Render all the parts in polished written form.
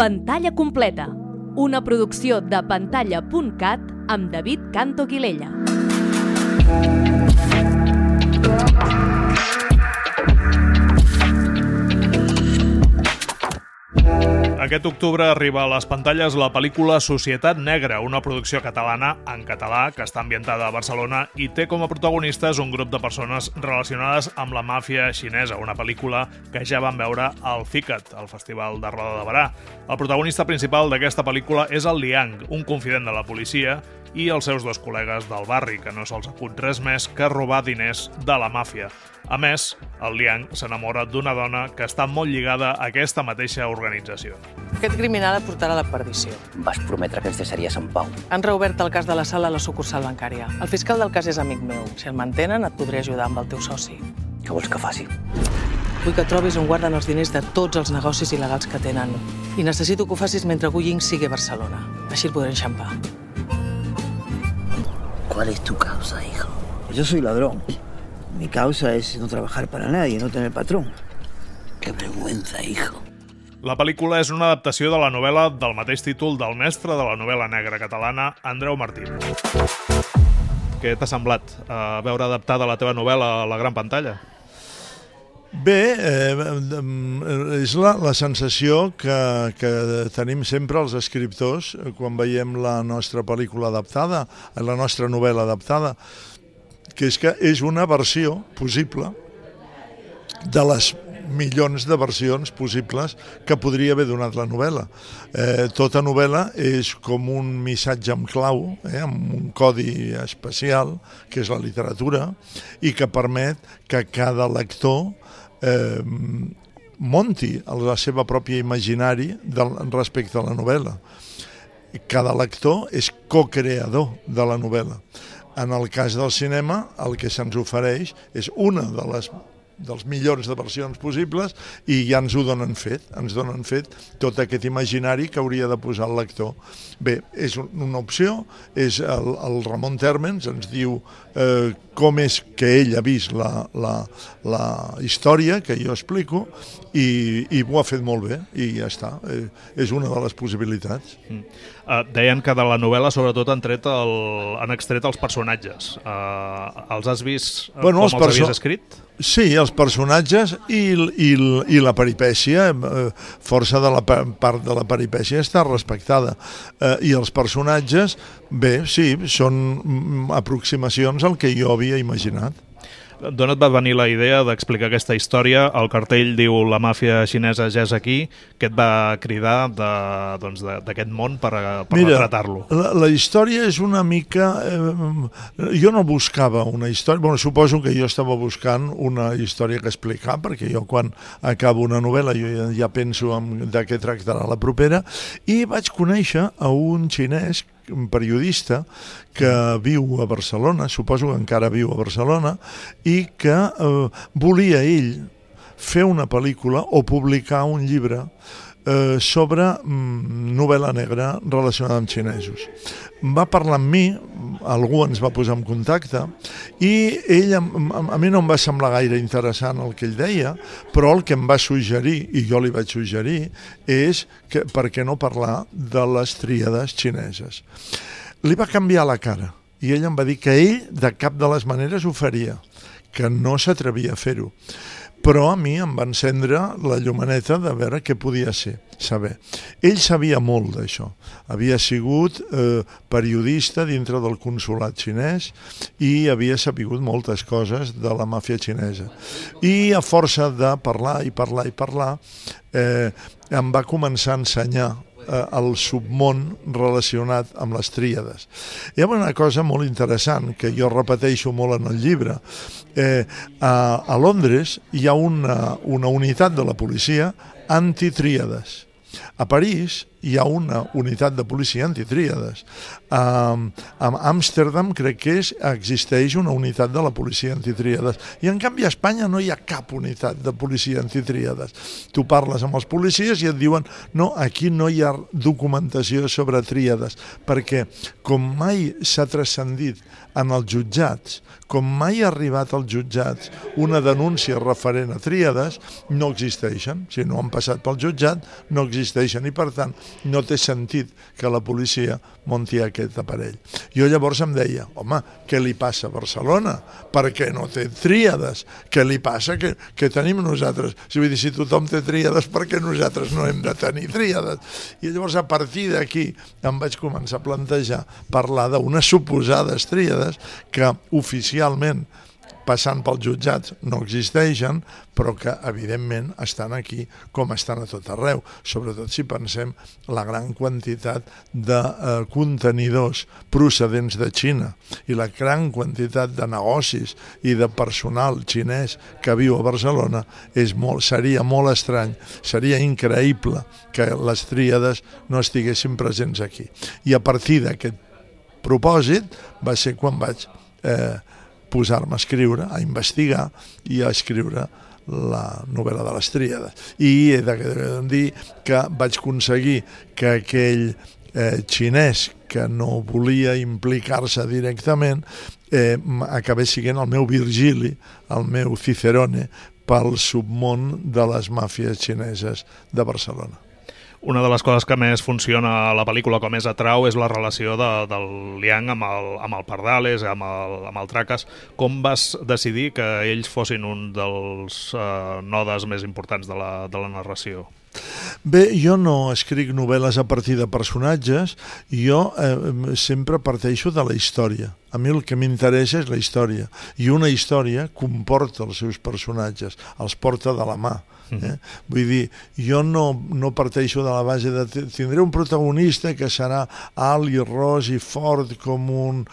Pantalla completa, una producció de pantalla.cat amb David Canto Guilella. Aquest octubre arriba a les pantalles la pel·lícula Societat Negra, una producció catalana en català que està ambientada a Barcelona i té com a protagonistes un grup de persones relacionades amb la màfia xinesa, una pel·lícula que ja vam veure al FICAT, al Festival de Roda de Berà. El protagonista principal d'aquesta pel·lícula és el Liang, un confident de la policia, i els seus dos col·legues del barri, que no se'ls acut res més que robar diners de la màfia. A més, el Liang s'enamora d'una dona que està molt lligada a aquesta mateixa organització. Aquest criminal et portarà a la perdició. Vas prometre que ens deixaries en pau. Han reobert el cas de la sala a la sucursal bancària. El fiscal del cas és amic meu. Si el mantenen, et podré ajudar amb el teu soci. Què vols que faci? Vull que trobis on guarden els diners de tots els negocis il·legals que tenen. I necessito que ho facis mentre Gu Ying sigui a Barcelona. Així el podré enxampar. ¿Cuál es tu causa, hijo? Yo soy ladrón. Mi causa es no trabajar para nadie, no tener patrón. Qué vergüenza, hijo. La pel·lícula és una adaptació de la novel·la del mateix títol del mestre de la novel·la negra catalana, Andreu Martín. Què t'ha semblat veure adaptada la teva novel·la a la gran pantalla? Bé, és la sensació que tenim sempre els escriptors quan veiem la nostra pel·lícula adaptada, la nostra novel·la adaptada, que és una versió possible de les milions de versions possibles que podria haver donat la novel·la. Tota novel·la és com un missatge amb clau, amb un codi especial, que és la literatura, i que permet que cada lector monti la seva pròpia imaginari respecte a la novel·la. Cada lector és co-creador de la novel·la. En el cas del cinema, el que se'ns ofereix és una dels milions de versions possibles i ja ens ho donen fet. Ens donen fet tot aquest imaginari que hauria de posar el lector. Bé, és una opció, és el Ramon Térmens ens diu com és que ell ha vist la història que jo explico i ho ha fet molt bé i ja està. És una de les possibilitats. Deien que de la novel·la sobretot han extret els personatges. Els has vist com els havies escrit? Sí, els personatges i la peripècia, força de la part de la peripècia està respectada. I els personatges, bé, sí, són aproximacions al que jo havia imaginat. D'on et va venir la idea d'explicar aquesta història? El cartell diu la màfia xinesa ja és aquí. Què et va cridar d'aquest món per retratar-lo? La història és una mica... Jo no buscava una història... Bueno, suposo que jo estava buscant una història que explicar, perquè jo quan acabo una novel·la jo ja penso de què tractarà la propera, i vaig conèixer a un xinès, un periodista que viu a Barcelona, suposo que encara viu a Barcelona, i que volia ell fer una pel·lícula o publicar un llibre sobre novel·la negra relacionada amb xinesos. Va parlar amb mi, algú ens va posar en contacte, i ell, a mi no em va semblar gaire interessant el que ell deia, però el que em va suggerir, i jo li vaig suggerir, és que per què no parlar de les tríades xineses. Li va canviar la cara, i ell em va dir que ell de cap de les maneres ho faria, que no s'atrevia a fer-ho. Però a mi em va encendre la llumeneta de veure què podia saber. Ell sabia molt d'això. Havia sigut periodista dintre del consolat xinès i havia sabut moltes coses de la màfia xinesa. I a força de parlar i parlar i parlar, em va començar a ensenyar el submón relacionat amb les tríades. Hi ha una cosa molt interessant que jo repeteixo molt en el llibre. A Londres hi ha una unitat de la policia antitríades. A París hi ha una unitat de policia antitríades. A Amsterdam crec que existeix una unitat de la policia antitríades. I en canvi a Espanya no hi ha cap unitat de policia antitríades. Tu parles amb els policies i et diuen no, aquí no hi ha documentació sobre tríades, perquè com mai s'ha transcendit en els jutjats, com mai ha arribat als jutjats una denúncia referent a tríades, no existeixen. Si no han passat pel jutjat, no existeixen i, per tant, no té sentit que la policia munti aquest aparell. Jo llavors em deia, home, què li passa a Barcelona? Per què no té tríades? Què li passa? Què tenim nosaltres? Si tothom té tríades, per què nosaltres no hem de tenir tríades? I llavors, a partir d'aquí, em vaig començar a plantejar parlar d'unes suposades tríades que oficialment, passant pels jutjats, no existeixen, però que evidentment estan aquí com estan a tot arreu, sobretot si pensem la gran quantitat de contenidors procedents de Xina i la gran quantitat de negocis i de personal xinès que viu a Barcelona. Seria molt estrany, seria increïble que les tríades no estiguessin presents aquí. I a partir d'aquest propòsit va ser quan vaig posar-me a escriure, a investigar i a escriure la novel·la de les tríades. I he de dir que vaig aconseguir que aquell xinès que no volia implicar-se directament acabés sent el meu Virgili, el meu Cicerone, pel submón de les màfies xineses de Barcelona. Una de les coses que més funciona a la pel·lícula, com més atrau, és la relació del Liang amb el Pardales, amb el Tracas. Com vas decidir que ells fossin un dels nodes més importants de la narració? Bé, jo no escric novel·les a partir de personatges, jo sempre parteixo de la història. A mi el que m'interessa és la història, i una història comporta els seus personatges, els porta de la mà. Vull dir, jo no parteixo de la base de tindré un protagonista que serà alt i ros i fort com un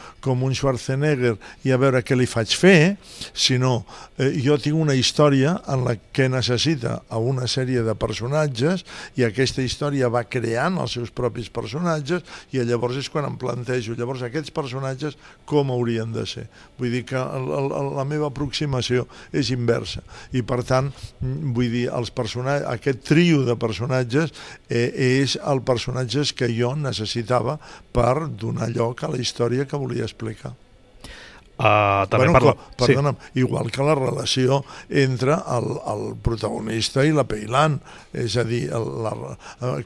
Schwarzenegger i a veure què li faig fer, sinó jo tinc una història en la que necessita a una sèrie de personatges i aquesta història va creant els seus propis personatges i llavors és quan em plantejo llavors aquests personatges com haurien de ser. Vull dir que la meva aproximació és inversa i per tant vull dir aquest trio de personatges és el personatges que jo necessitava per donar lloc a la història que volia explicar. Perdona'm, igual que la relació entre el protagonista i la Peilan, és a dir,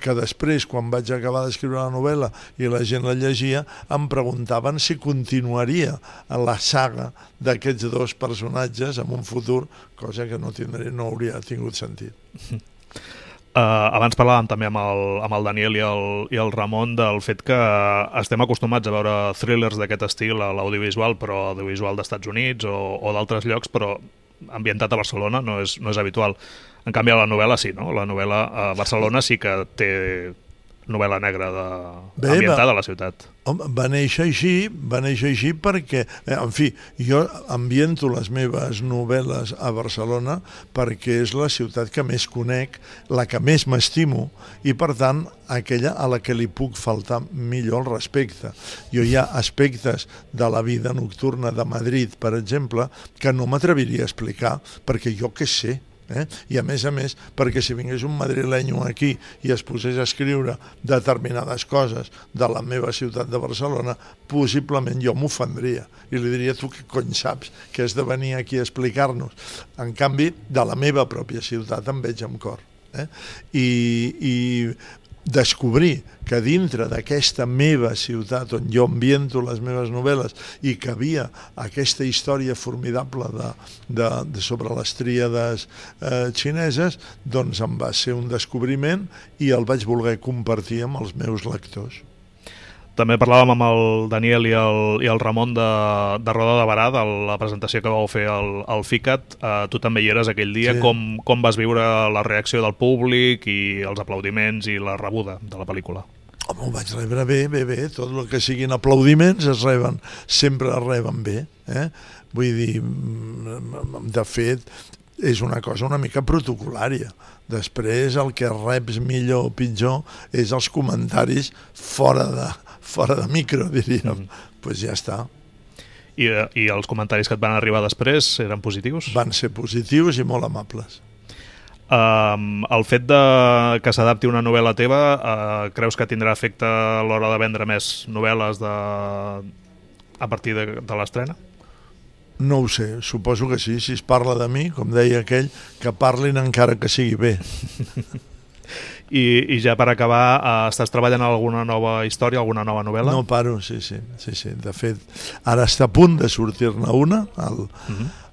que després, quan vaig acabar d'escriure la novel·la i la gent la llegia, em preguntaven si continuaria la saga d'aquests dos personatges en un futur, cosa que no hauria tingut sentit. Abans parlàvem també amb el Daniel i el Ramon del fet que estem acostumats a veure thrillers d'aquest estil a l'audiovisual, però audiovisual d'Estats Units o d'altres llocs, però ambientat a Barcelona no és habitual. En canvi, a la novel·la sí, no? La novel·la a Barcelona sí que té novel·la negra ambientada a la ciutat. Va néixer així perquè, en fi, jo ambiento les meves novel·les a Barcelona perquè és la ciutat que més conec, la que més m'estimo i, per tant, aquella a la que li puc faltar millor el respecte. Jo hi ha aspectes de la vida nocturna de Madrid, per exemple, que no m'atreviria a explicar perquè jo què sé. I a més, perquè si vingués un madrilenyo aquí i es posés a escriure determinades coses de la meva ciutat de Barcelona, possiblement jo m'ofendria i li diria, tu què cony saps que has de venir aquí a explicar-nos? En canvi, de la meva pròpia ciutat em veig amb cor. I descobrir que dintre d'aquesta meva ciutat on jo ambiento les meves novel·les i que havia aquesta història formidable sobre les tríades xineses, doncs em va ser un descobriment i el vaig voler compartir amb els meus lectors. També parlàvem amb el Daniel i el Ramon de Roda de Barà, de la presentació que vau fer al FICAT. Tu també hi eres aquell dia. Sí. Com vas viure la reacció del públic i els aplaudiments i la rebuda de la pel·lícula? Home, ho vaig rebre bé. Tot el que siguin aplaudiments sempre es reben bé. Vull dir, de fet, és una cosa una mica protocolària. Després el que reps millor o pitjor és els comentaris fora de micro, diríem. Pues ja està. I els comentaris que et van arribar després eren positius? Van ser positius i molt amables. El fet que s'adapti una novel·la teva, creus que tindrà efecte a l'hora de vendre més novel·les a partir de l'estrena? No ho sé, suposo que sí. Si es parla de mi, com deia aquell, que parlin encara que sigui bé. I ja per acabar, estàs treballant en alguna nova història, alguna nova novel·la? No paro, sí. De fet, ara està a punt de sortir-ne una.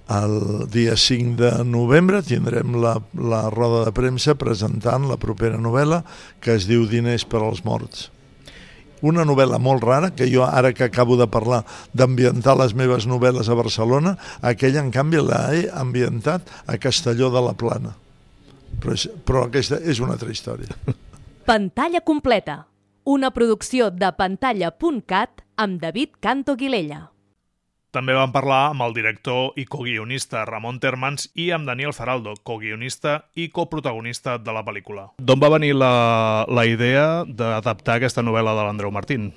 El dia 5 de novembre tindrem la roda de premsa presentant la propera novel·la, que es diu Diners per als morts. Una novel·la molt rara, que jo ara que acabo de parlar d'ambientar les meves novel·les a Barcelona, aquella en canvi l'he ambientat a Castelló de la Plana. Però aquesta és una altra història. Pantalla completa, una producció de pantalla.cat amb David Canto Guilella. També vam parlar amb el director i coguionista Ramon Térmens i amb Daniel Faraldo, coguionista i coprotagonista de la pel·lícula. D'on va venir la idea d'adaptar aquesta novel·la de l'Andreu Martín?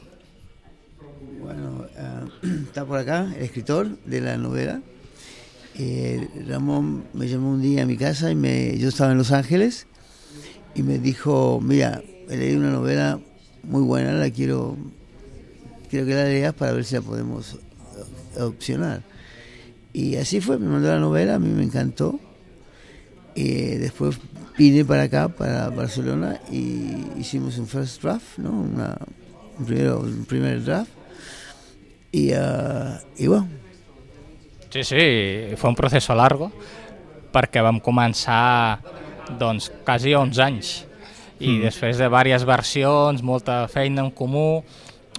Bueno, está por acá el escritor de la novela. Ramón me llamó un día a mi casa yo estaba en Los Ángeles y me dijo, mira, he leído una novela muy buena, quiero que la leas para ver si la podemos opcionar. Y así fue, me mandó la novela, a mí me encantó. Después vine para acá, para Barcelona, y hicimos un first draft, ¿no? Un primer draft. Y bueno. Sí, fue un proceso largo, perquè vam començar doncs, quasi 11 anys. I després de diverses versions, molta feina en comú,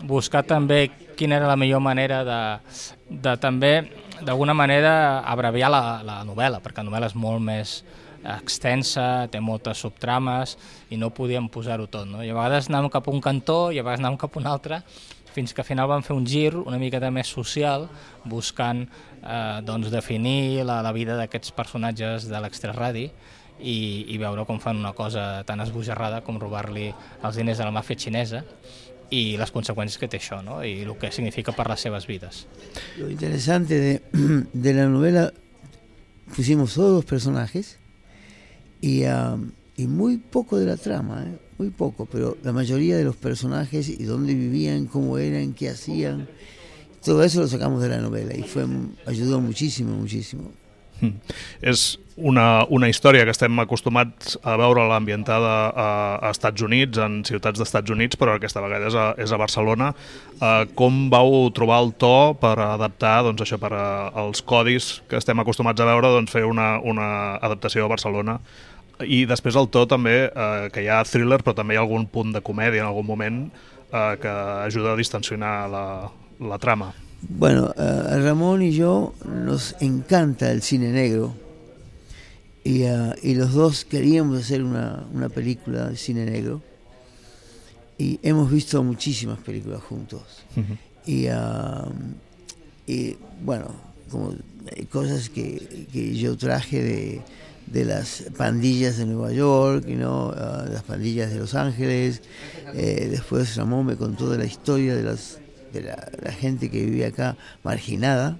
buscar també quina era la millor manera de també, d'alguna manera, abreviar la novel·la, perquè la novel·la és molt més extensa, té moltes subtrames i no podíem posar-ho tot, no? I a vegades anàvem cap a un cantó i a vegades anàvem cap a un altre, fins que al final vam fer un gir una miqueta més social, buscant definir la vida d'aquests personatges de l'extraradi i veure com fan una cosa tan esbojarrada com robar-li els diners a la màfia xinesa y las consecuencias que té això, ¿no? Y lo que significa para las seves vidas. Lo interesante de la novela, pusimos todos los personajes y muy poco de la trama, muy poco, pero la mayoría de los personajes y dónde vivían, cómo eran, qué hacían, todo eso lo sacamos de la novela y ayudó muchísimo. És una història que estem acostumats a veure-la ambientada a Estats Units, en ciutats d'Estats Units, però aquesta vegada és a Barcelona. Com vau trobar el to per adaptar això per als codis que estem acostumats a veure, fer una adaptació a Barcelona? I després el to també, que hi ha thriller, però també hi ha algun punt de comèdia en algun moment que ajuda a distensionar la trama. Bueno, a Ramón y yo nos encanta el cine negro y los dos queríamos hacer una película de cine negro y hemos visto muchísimas películas juntos. Y bueno, como cosas que yo traje de las pandillas de Nueva York, ¿no? Las pandillas de Los Ángeles. Después Ramón me contó de la historia de la gente que vivía acá marginada,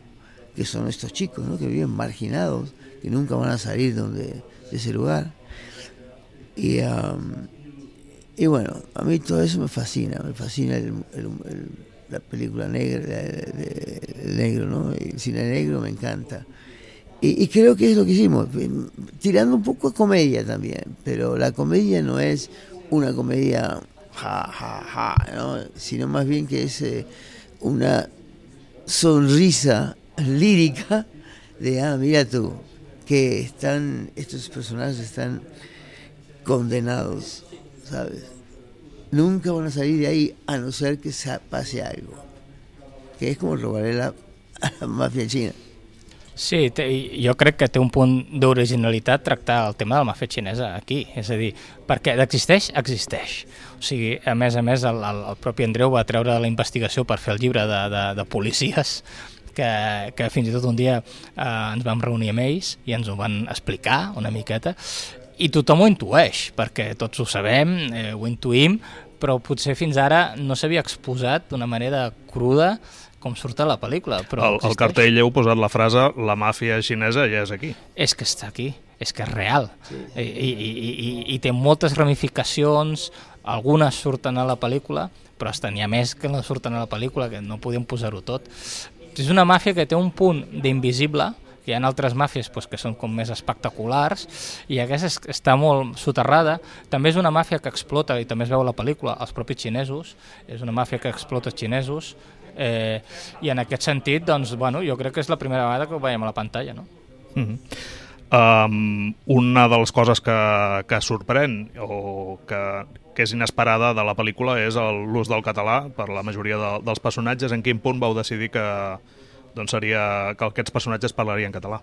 que son estos chicos, ¿no? Que viven marginados, que nunca van a salir de ese lugar. Y bueno, a mí todo eso me fascina la película negra, el negro, ¿no? El cine negro me encanta. Y creo que es lo que hicimos, tirando un poco a comedia también, pero la comedia no es una comedia ¿no? Sino más bien que es una sonrisa lírica de, mira tú, que estos personajes están condenados, ¿sabes? Nunca van a salir de ahí a no ser que pase algo, que es como robaré a la mafia xina. Sí, jo crec que té un punt d'originalitat tractar el tema de la màfia xinesa aquí, és a dir, perquè existeix. O sigui, a més, el propi Andreu va treure la investigació per fer el llibre de policies que fins i tot un dia ens vam reunir amb ells i ens ho van explicar una miqueta, i tothom ho intueix, perquè tots ho sabem, ho intuïm, però potser fins ara no s'havia exposat d'una manera cruda com surt a la pel·lícula. Però el cartell heu posat la frase «La màfia xinesa ja és aquí». És que està aquí, és que és real. I té moltes ramificacions, algunes surten a la pel·lícula, però n'hi ha més que no surten a la pel·lícula, que no podíem posar-ho tot. És una màfia que té un punt d'invisible, que hi ha altres màfies que són com més espectaculars, i aquesta està molt soterrada. També és una màfia que explota, i també es veu a la pel·lícula, els propis xinesos. És una màfia que explota els xinesos, i en aquest sentit, doncs, bueno, jo crec que és la primera vegada que ho veiem a la pantalla, no? Una de les coses que sorprèn o que és inesperada de la pel·lícula és l'ús del català per la majoria dels personatges. En quin punt vau decidir que seria que aquests personatges parlarien català?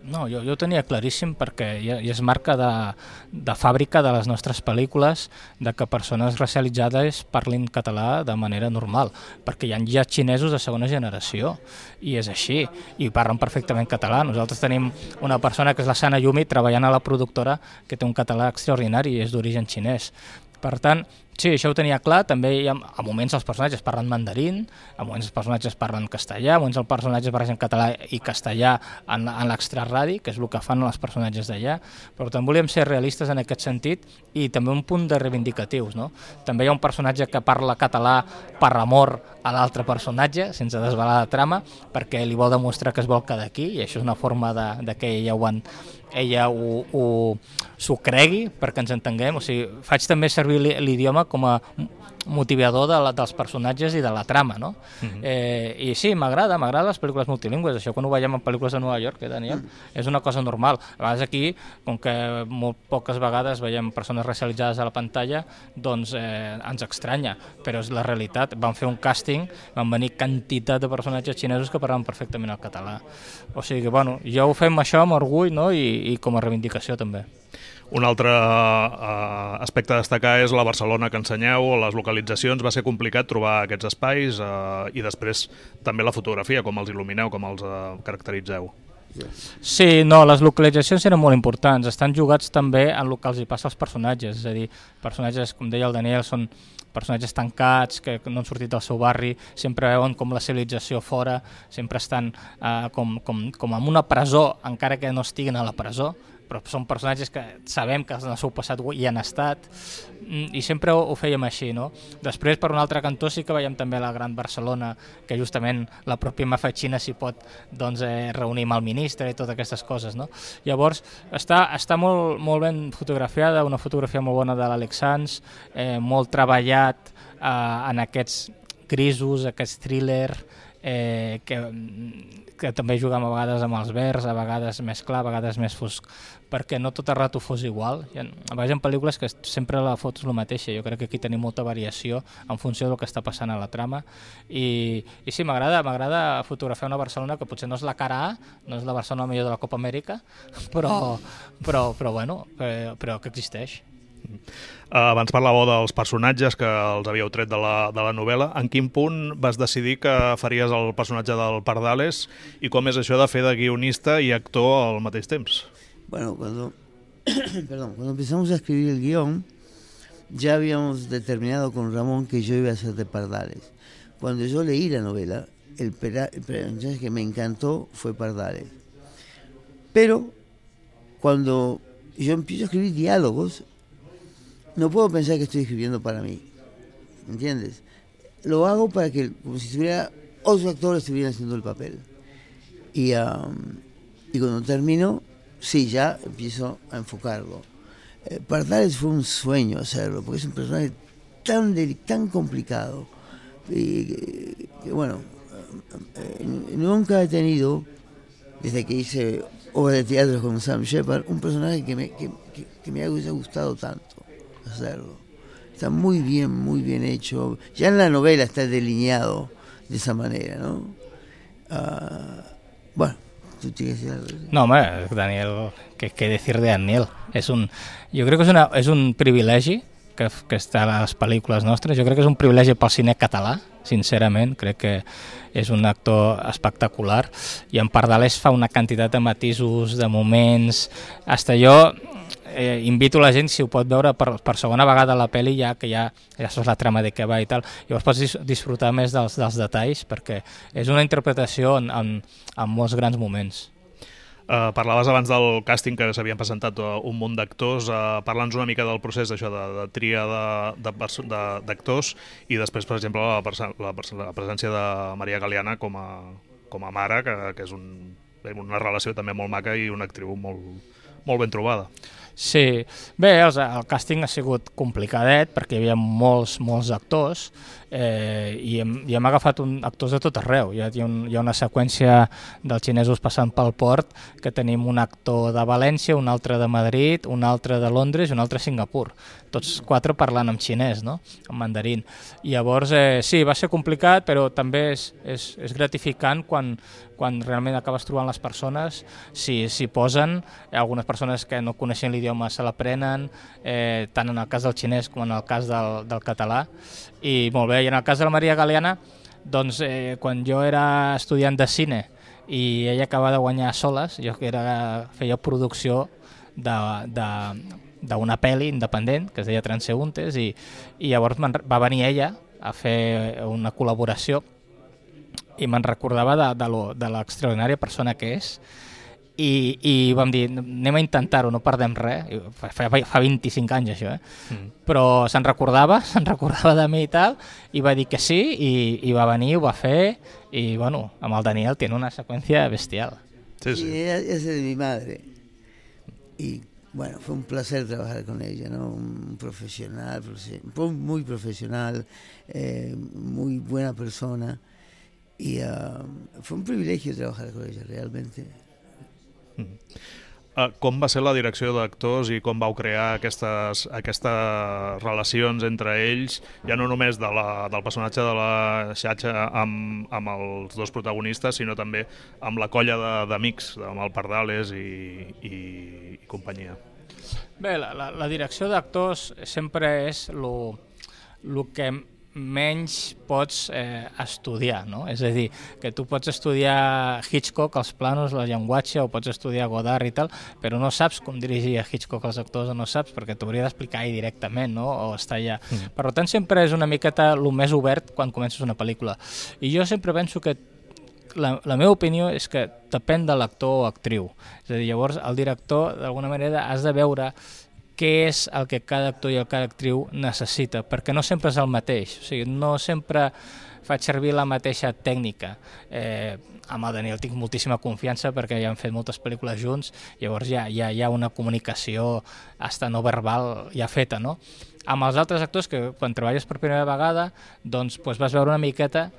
No, jo ho tenia claríssim, perquè ja és marca de fàbrica de les nostres pel·lícules de que persones racialitzades parlin català de manera normal, perquè hi ha ja xinesos de segona generació, i és així, i parlen perfectament català. Nosaltres tenim una persona que és la Sana Yumi treballant a la productora que té un català extraordinari i és d'origen xinès. Per tant, sí, això ho tenia clar. També a moments els personatges parlen mandarín, a moments els personatges parlen castellà, a moments els personatges barregen català i castellà en l'extraradi, que és el que fan els personatges d'allà. Per tant, volíem ser realistes en aquest sentit i també un punt de reivindicatius, no? També hi ha un personatge que parla català per amor a l'altre personatge, sense desvelar la trama, perquè li vol demostrar que es vol quedar aquí, i això és una forma de que ella s'ho cregui, perquè ens entenguem. O sigui, faig també servir l'idioma com a motivador dels personatges i de la trama, no? I sí, m'agrada les pel·lícules multilingües. Això quan ho veiem en pel·lícules de Nova York, Daniel, és una cosa normal. A vegades aquí, com que molt poques vegades veiem persones racialitzades a la pantalla, doncs ens estranya, però és la realitat. Van fer un càsting, van venir quantitat de personatges xinesos que parlaven perfectament el català. O sigui que, bueno, ja ho fem això amb orgull, no? I com a reivindicació també. Un altre aspecte a destacar és la Barcelona que ensenyeu, les localitzacions. Va ser complicat trobar aquests espais i després també la fotografia, com els il·lumineu, com els caracteritzeu. Sí, no, les localitzacions eren molt importants. Estan jugats també en el que els hi passa als personatges. És a dir, personatges, com deia el Daniel, són personatges tancats, que no han sortit del seu barri, sempre veuen com la civilització fora, sempre estan com en una presó, encara que no estiguin a la presó, però són personatges que sabem que en el seu passat hi han estat, i sempre ho fèiem així, no? Després, per un altre cantó, sí que veiem també la Gran Barcelona, que justament la pròpia màfia xina s'hi pot reunir amb el ministre i totes aquestes coses, no? Llavors, està molt ben fotografiada, una fotografia molt bona de l'Àlex Sans, molt treballat en aquests grisos, aquests thriller, que també juguem a vegades amb els verds, a vegades més clar, a vegades més fosc, perquè no tot el rato fos igual. A vegades hi ha pel·lícules que sempre la foto és el mateix. Jo crec que aquí tenim molta variació en funció del que està passant a la trama, i sí, m'agrada fotografiar una Barcelona que potser no és la cara A, no és la Barcelona millor de la Copa Amèrica, però que existeix. Abans parlàveu dels personatges que els havíeu tret de la novel·la. En quin punt vas decidir que faries el personatge del Pardales i com és això de fer de guionista y actor al mateix temps? Bueno, cuando empezamos a escribir el guión, ya habíamos determinado con Ramón que yo iba a ser de Pardales. Cuando yo leí la novela, el personaje que me encantó fue Pardales. Pero cuando yo empiezo a escribir diálogos, no puedo pensar que estoy escribiendo para mí, ¿entiendes? Lo hago para que, como si estuviera otros actores estuvieran haciendo el papel. Y cuando termino, sí, ya empiezo a enfocarlo. Pardales fue un sueño hacerlo, porque es un personaje tan complicado. Y que bueno, nunca he tenido, desde que hice obras de teatro con Sam Shepard, un personaje que me haya gustado tanto hacerlo. Está muy bien hecho. Ya en la novela está delineado de esa manera, ¿no? Bueno, ¿tú tienes que decir algo? No, home, Daniel, què decir de Daniel? Jo crec que és un privilegi que està a les pel·lícules nostres. Jo crec que és un privilegi pel cine català, sincerament, crec que és un actor espectacular i en Pardalés fa una quantitat de matisos, de moments, hasta jo invito la gent, si ho pot veure per segona vegada a la pel·li, ja que ja saps la trama de què va i tal, llavors pots disfrutar més dels detalls, perquè és una interpretació en molts grans moments. Parlaves abans del càsting, que s'havien presentat un munt d'actors. Parla'ns una mica del procés això de tria d'actors i després, per exemple, la presència de Maria Galeana com a mare, que és una relació també molt maca i una actriu molt ben trobada. Sí, bé, el càsting ha sigut complicadet perquè hi havia molts actors i hem agafat actors de tot arreu. Hi ha una seqüència dels xinesos passant pel port que tenim un actor de València, un altre de Madrid, un altre de Londres i un altre de Singapur. Tots 4 parlant en xinès, no? En mandarín. I llavors, sí, va ser complicat, però també és gratificant quan realment acabes trobant les persones, si posen, algunes persones que no coneixen l'idioma se l'aprenen, tant en el cas del xinès com en el cas del català, i molt bé. I en el cas de la Maria Galeana, doncs, quan jo era estudiant de cine i ella acaba de guanyar Soles, jo feia producció d'una pel·li independent que es deia Transeúntes i llavors va venir ella a fer una col·laboració i me'n recordava de l'extraordinària persona que és i vam dir, anem a intentar-ho, no perdem res. Fa 25 anys això, però se'n recordava de mi i tal, i va dir que sí, i va venir, ho va fer, i bueno, amb el Daniel tiene una seqüència bestial. Sí. Ella es de mi madre, y bueno, fue un placer trabajar con ella, ¿no? Un profesional, muy profesional, muy buena persona, y fue un privilegio trabajar con ella, realmente. Com va ser la direcció d'actors i com vau crear aquestes relacions entre ells, ja no només del personatge de la Xatxa amb els dos protagonistes, sinó també amb la colla d'amics, amb el Pardales i companyia? Bé, la direcció d'actors sempre és el que menys pots estudiar, no? És a dir, que tu pots estudiar Hitchcock, els planos, la llenguatge, o pots estudiar Godard i tal, però no saps com dirigir a Hitchcock els actors, o no saps, perquè t'hauria d'explicar ell directament, no? O estar allà. Per tant, sempre és una miqueta el més obert quan comences una pel·lícula. I jo sempre penso que la meva opinió és que depèn de l'actor o actriu. És a dir, llavors el director, d'alguna manera, has de veure què és el que cada actor i cada actriu necessita, perquè no sempre és el mateix, o sigui, no sempre faig servir la mateixa tècnica. Amb el Daniel tinc moltíssima confiança perquè ja hem fet moltes pel·lícules junts, llavors ja hi ha una comunicació hasta no verbal ja feta, no? Amb els altres actors, que quan treballes per primera vegada, doncs vas veure una miqueta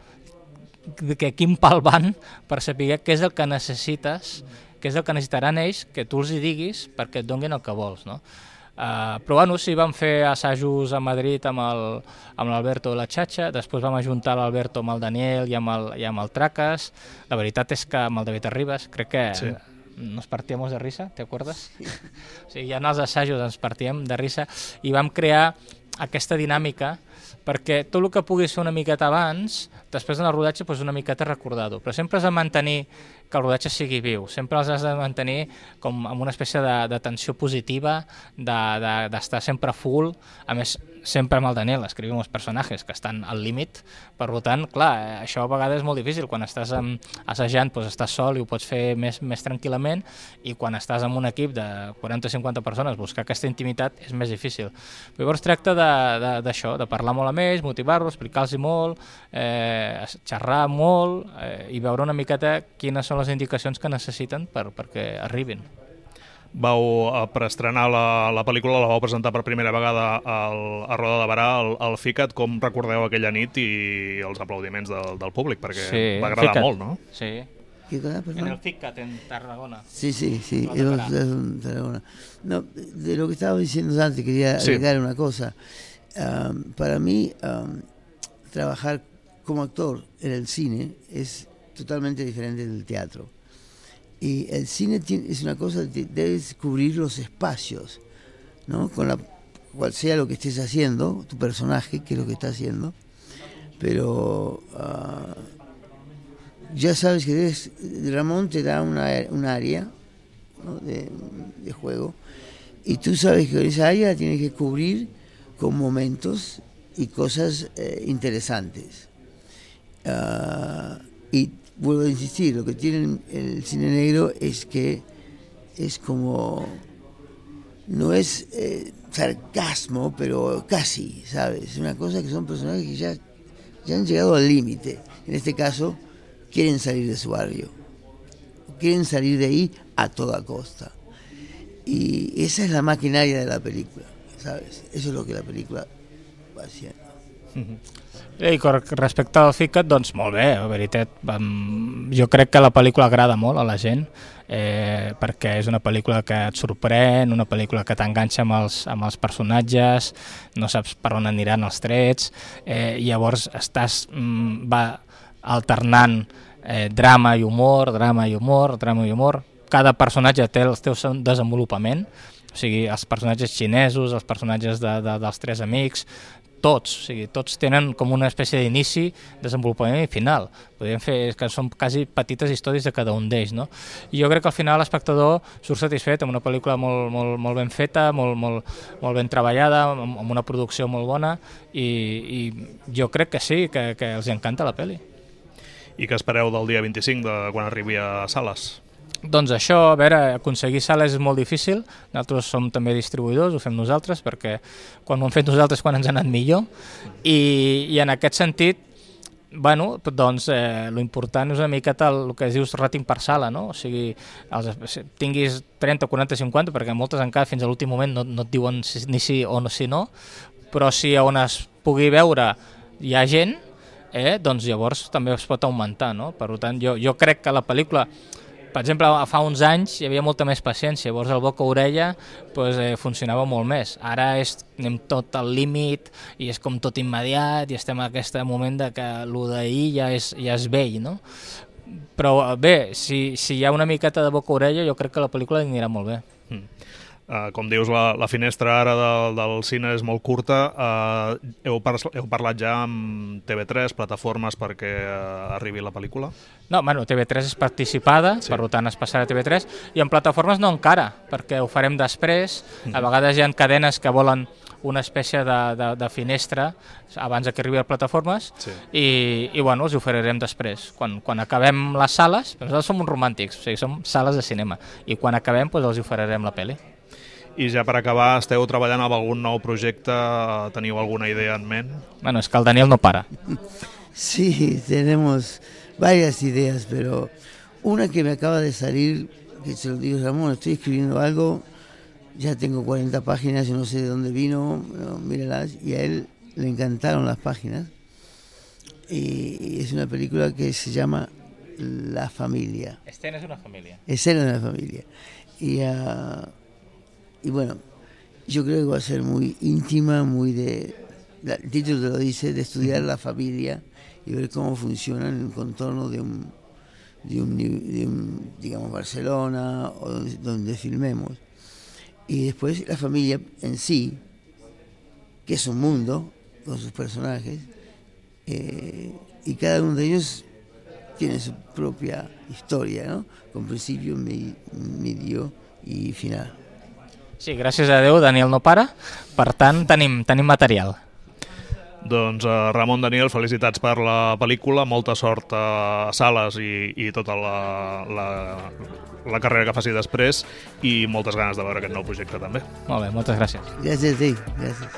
que quin pal van per saber què és el que necessites, què és el que necessitaran ells, que tu els hi diguis perquè et donguin el que vols, no? Però bueno, sí, vam fer assajos a Madrid amb l'Alberto i la Xatxa, després vam ajuntar l'Alberto amb el Daniel i amb el Traques. La veritat és que amb el David Arribas crec que sí. Nos partíamos de risa, ¿te acuerdas? O sigui, ja en els assajos ens partíem de risa i vam crear aquesta dinàmica perquè tot el que puguis fer una miqueta abans, després en el rodatge una miqueta recordar-ho, però sempre has de mantenir que el rodatge sigui viu, sempre els has de mantenir com amb una espècie de tensió positiva, d'estar sempre full, a més sempre amb el Daniel escrivim els personatges que estan al límit, per tant, clar, això a vegades és molt difícil, quan estàs assajant estàs sol i ho pots fer més tranquil·lament, i quan estàs amb un equip de 40-50 persones buscar aquesta intimitat és més difícil. Però llavors tracta d'això, de parlar molt amb ells, motivar-los, explicar-los molt, xerrar molt i veure una miqueta quines són les indicacions que necessiten perquè arribin. Vau preestrenar la pel·lícula, la vau presentar per primera vegada a Roda de Barà, al FICAT. Com recordeu aquella nit i els aplaudiments del públic? Perquè va agradar molt, ¿no? Sí. En el FICAT, en Tarragona. Sí, en Tarragona. No, de lo que estaba diciendo antes, quería agregar una cosa. Para mí, trabajar como actor en el cine es totalmente diferente del teatro. Y el cine es una cosa, debes cubrir los espacios, ¿no? Con cual sea lo que estés haciendo, tu personaje, qué es lo que está haciendo, pero ya sabes que Ramón te da un área, ¿no? de juego, y tú sabes que esa área la tienes que cubrir con momentos y cosas interesantes. Y vuelvo a insistir, lo que tiene el cine negro es que es como, no es sarcasmo, pero casi, ¿sabes? Es una cosa que son personajes que ya han llegado al límite. En este caso, quieren salir de su barrio, quieren salir de ahí a toda costa. Y esa es la maquinaria de la película, ¿sabes? Eso es lo que la película va haciendo. I respecte al Ficat, doncs molt bé, la veritat. Jo crec que la pel·lícula agrada molt a la gent, perquè és una pel·lícula que et sorprèn, una pel·lícula que t'enganxa amb els personatges, no saps per on aniran els trets, llavors va alternant drama i humor, drama i humor, drama i humor. Cada personatge té el seu desenvolupament, o sigui, els personatges xinesos, els personatges dels tres amics, tots tenen com una espècie d'inici, desenvolupament i final. Podríem fer que són quasi petites històries de cada un d'ells, no? I jo crec que al final l'espectador surt satisfet amb una pel·lícula molt ben feta, molt ben treballada, amb una producció molt bona, i jo crec que sí, que els encanta la pel·li. I què espereu del dia 25, de quan arribi a sales? Doncs això, a veure, aconseguir sales és molt difícil. Nosaltres som també distribuïdors, ho fem nosaltres, perquè quan ho hem fet nosaltres quan ens ha anat millor. I en aquest sentit, bueno, doncs l'important és una miqueta el que es diu rating per sala, no? O sigui, tinguis 30, 40, 50, perquè moltes encara fins a l'últim moment no et diuen ni sí o si no, però si on es pugui veure hi ha gent, doncs llavors també es pot augmentar, no? Per tant, jo crec que la pel·lícula, per exemple, fa uns anys hi havia molta més paciència, llavors el boca-orella funcionava molt més. Ara anem tot al límit i és com tot immediat i estem en aquest moment que el d'ahir ja és vell, no? Però bé, si hi ha una miqueta de boca-orella, jo crec que la pel·lícula anirà molt bé. Com dius, la finestra ara del cine és molt curta. Heu parlat ja amb TV3, plataformes, perquè arribi la pel·lícula? No, bueno, TV3 és participada, sí. Per tant es passarà a TV3, i en plataformes no encara, perquè ho farem després. A vegades hi ha cadenes que volen una espècie de finestra abans que arribi a plataformes, sí. I bueno, els oferirem després. Quan acabem les sales, nosaltres som uns romàntics, o sigui, som sales de cinema, i quan acabem els oferirem la pel·li. I ja per acabar, esteu treballant amb algun nou projecte? Teniu alguna idea en ment? Bueno, es que el Daniel no para. Sí, tenemos varias ideas, pero una que me acaba de salir, que se lo digo, Ramón, estoy escribiendo algo, ya tengo 40 páginas, yo no sé de dónde vino, míralas, y a él le encantaron las páginas, y es una película que se llama La Familia. Escenas de una familia. Escenas de una familia. Y bueno, yo creo que va a ser muy íntima, el título te lo dice, de estudiar la familia y ver cómo funciona en el contorno de un digamos, Barcelona, o donde filmemos. Y después la familia en sí, que es un mundo con sus personajes, y cada uno de ellos tiene su propia historia, ¿no? Con principio, medio y final. Sí, gràcies a Déu, Daniel no para, per tant tenim material. Doncs Ramon, Daniel, felicitats per la pel·lícula, molta sort a sales i tota la carrera que faci després, i moltes ganes de veure aquest nou projecte també. Molt bé, moltes gràcies. Gràcies a ti, gràcies.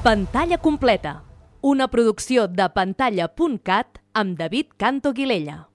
Pantalla completa, una producció de pantalla.cat amb David Canto Guilella.